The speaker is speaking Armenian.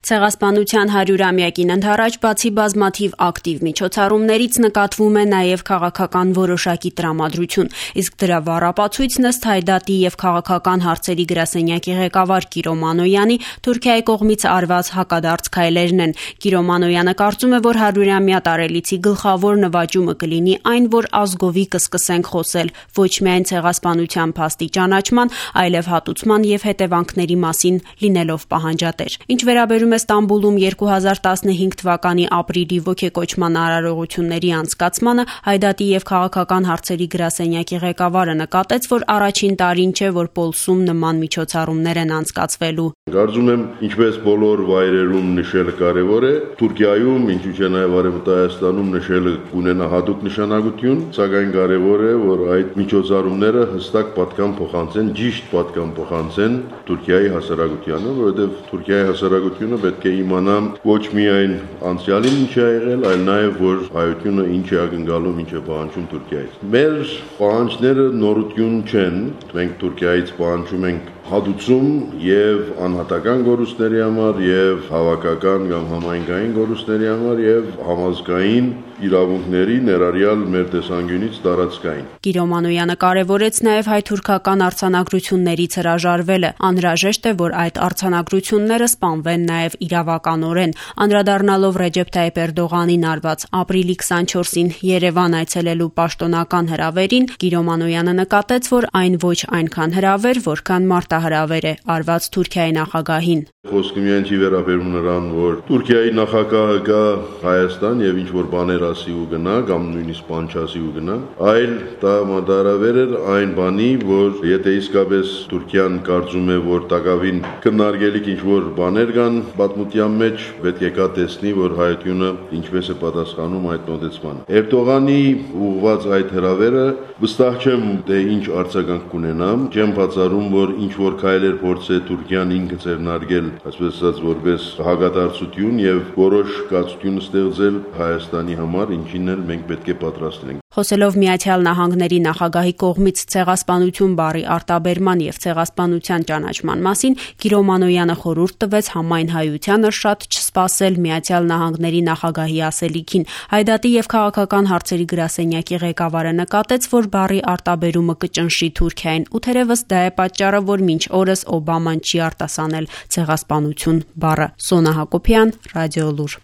Ցեղասպանության 100-ամյակին ընդառաջ բացի բազմաթիվ ակտիվ միջոցառումներից նկատվում է նաև քաղաքական որոշակի տրամադրություն, իսկ դրա վառապացույցն ըստ Հայդատի եւ քաղաքական հարցերի գրասենյակի ղեկավար Կիրո Մանոյանի Թուրքիայի կողմից արված հակադարձ քայլերն են։ Կիրո Մանոյանը կարծում է, որ 100-ամյա տարելիցի գլխավոր նվաճումը կլինի այն, որ ազգովի կսկսենք խոսել ոչ միայն ցեղասպանության փաստի ճանաչման, այլև հատուցման եւ հետևանքների մասին լինելով պահանջատեր։ Ինչ վերաբերում է Ստամբուլում 2015 թվականի ապրիլի ոգեկոչման արարողությունների անցկացմանը, Հայդատի եւ քաղաքական հարցերի գրասենյակի ղեկավարը նկատեց, որ առաջին տարին չէ, որ Պոլսում նման միջոցառումներ են անցկացվելու։ Կարծում եմ, ինչպես բոլոր վայրերում նշելը կարևոր է, Թուրքիայում, ինչու՞ չէ նաև Արևմտայաստանում նշելը կունենա հատուկ նշանակություն, սակայն կարևոր է, որ այդ միջոցառումները հստակ պատկան փոխանցեն, ճիշտ պատկան փոխանցեն Թուրքիայի հասարակությանը, որովհետև Թուրքիայի հասարակությունը պետք է իմանա ոչ միայն անցյալին ինչ է եղել, այլ նաև որ հայությունը ինչ է ակնկալում, ինչ է պահանջում Թուրքիայից։ Մեր պահանջները նորություն չեն, մենք Թուրքիայից պահանջում ենք հատուցում եւ անհատական գորուստների համար եւ հավաքական կամ համայնքային գորուստների համար եւ համազգային իրավունքների ներառյալ մեր տեսանկյունից տարածքային։ Կիրո Մանոյանը կարևորեց նաև հայ-թուրքական արձանագրություններից հրաժարվելը։ Անհրաժեշտ է, որ այդ արձանագրությունները սպանվեն նաև իրավականորեն։ Անդրադառնալով Ռեջեփ Թայիփ Էրդողանին արված ապրիլի 24-ին Երևան այցելելու պաշտոնական հրավերին, Կիրո Մանոյանը նկատեց, որ այն ոչ այնքան հրավեր, որքան մարտահրավեր է արված Թուրքիայի նախագահին։ Խոսքը միայն չի վերաբերում նրան, որ Թուրքիայի նախագահը գա Հայաստան եւ ինչ որ բաներ ասի ու գնա կամ նույնիսկ բան չասի ու գնա, այլ դա մարտահրավեր էր այն բանի, որ եթե իսկապես Թուրքիան կարծում է, որ տակավին քննարկելիք ինչ որ բաներ կան պատմության մեջ, պետք է կա տեսնի, որ հայությունը ինչպես է պատասխանում այդ մոտեցմանը։ Էրդողանի ուղղված այդ հրավերը վստահ չեմ թե ինչ արձագանք կունենա, չեմ բացառում, որ ինչ որ քայլեր փորձե Թուրքիան ինքը ձեռնարկել, այսպես ասած, որպես հակադարձություն եւ որոշ կացություն ստեղծել Հայաստանի համար, ինչին էլ մենք պետք է պատրաստ լինենք։ Խոսելով Միացյալ Նահանգների նախագահի կողմից ցեղասպանություն բառի արտաբերման եւ ցեղասպանության ճանաչման մասին, Կիրո Մանոյանը խորհուրդ տվեց համայն հայությանը շատ չսպասել Միացյալ Նահանգների նախագահի ասելիքին։ Հայդատի եւ քաղաքական հարցերի գրասենյակի ղեկավարը նկատեց, որ բառի արտաբերումը կճնշի Թուրքիային, ու թերևս դա է պատճառը, որ մինչ օրս Օբաման չի արտասանել ցեղասպանություն բառը։ Սոնա Հակոբյան, Ռադիոլուր։